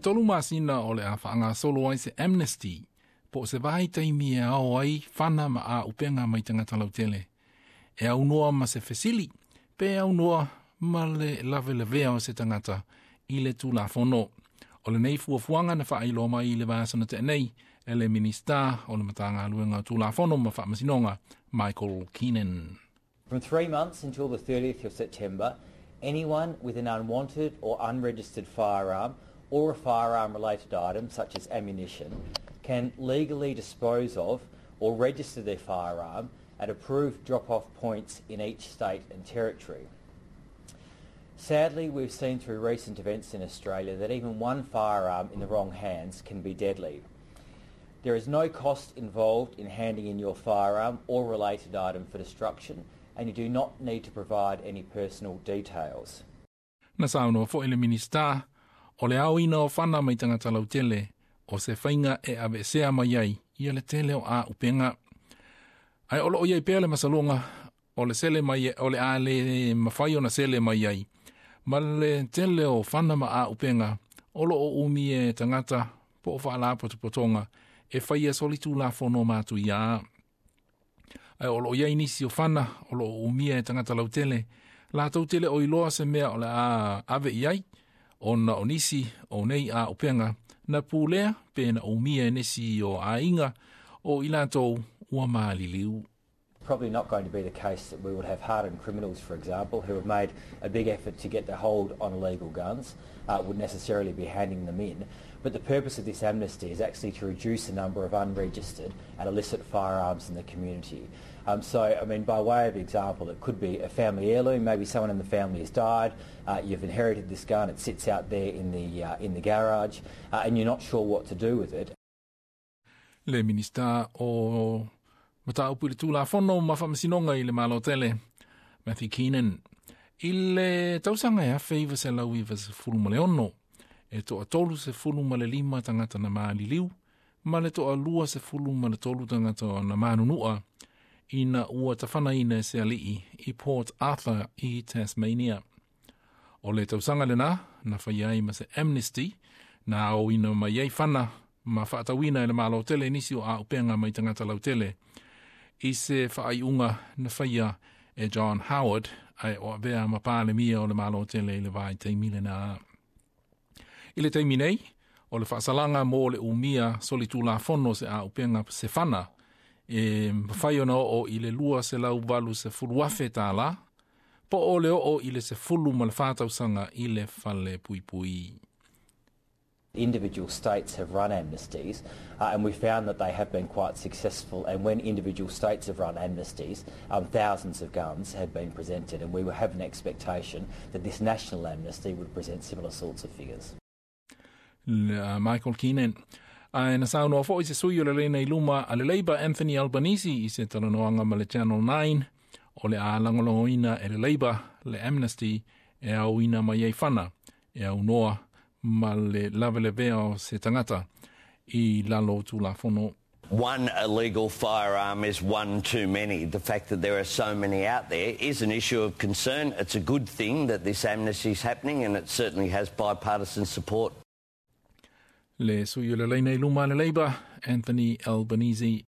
3 masina o le a faagasolo ai se amnesty, po o se vaitaimi e ao ai fana ma auupega mai tagata lautele. E aunoa ma se fesili, pe aunoa ma le lavelavea o se tagata i le Tulafono. O lenei fuafuaga na faailoa mai i le vaiaso na tea nei e le Minisita o le Matagaluega o Tulafono ma Faamasinoga, Michael Keenan. From 3 months until the 30th of September, anyone with an unwanted or unregistered firearm or a firearm-related item, such as ammunition, can legally dispose of or register their firearm at approved drop-off points in each state and territory. Sadly, we've seen through recent events in Australia that even one firearm in the wrong hands can be deadly. There is no cost involved in handing in your firearm or related item for destruction, and you do not need to provide any personal details. Na saunoa foi le Minisita, o le aoina o fana mai tagata lautele, o se faiga e aveesea mai ai ia le tele o auupega. Ae o loo iai pea le masaloga o le sele mai o le a le mafai ona sele mai ai. Ma le tele o fana ma auupega o loo umia e tagata po o faalapotopotoga e faia solitulafono matuia. Ae o loo iai nisi o fana o loo umia e tagata lautele, latou te le o iloa se mea o le a ave i ai, ona o nisi o nei auupega na pulea pe na umia e nisi o aiga o i latou ua maliliu. Probably not going to be the case that we would have hardened criminals, for example, who have made a big effort to get their hold on illegal guns, would necessarily be handing them in. But the purpose of this amnesty is actually to reduce the number of unregistered and illicit firearms in the community. So, I mean, by way of example, it could be a family heirloom. Maybe someone in the family has died. You've inherited this gun. It sits out there in the garage, and you're not sure what to do with it. Le Minisita o Mataupu i le Tulafono ma Faamasinoga i le Malo Tele, Matthew Keenan. I le tausaga e 1996, e 35 tagata na maliliu, ma le 23 tagata na manunua, ina ua tafanaina e se alii i Port Arthur i Tasmania. O le tausaga lena, na faia ai ma se amnesty, na aoina mai ai fana ma faatauina e le Malo Tele nisi o auupega mai tagata lautele, i se faaiuga na faia e John Howard ae o avea ma Palemia o le Malo Tele i le vaitaimi lena. I le taimi nei, o le faasalaga mo le umia solitulafono se auupega se fana, e mafai ona oo i le $280,000, po o le oo i le 14 tausaga i le fale puipui. Individual states have run amnesties, and we found that they have been quite successful, and when individual states have run amnesties, thousands of guns have been presented, and we have an expectation that this national amnesty would present similar sorts of figures. Michael Keenan. Ae na saunoa foi se sui o le laina i luma a le Labour Anthony Albanese i se talanoaga ma le Channel 9 o le a lagolagoina e le Labour le amnesty e aoina mai ai fana e aunoa ma le lavelavea o se tagata i lalo Tulafono. One illegal firearm is one too many. The fact that there are so many out there is an issue of concern. It's a good thing that this amnesty is happening, and it certainly has bipartisan support. Le sui o le laina i luma a le Labour, Anthony Albanese.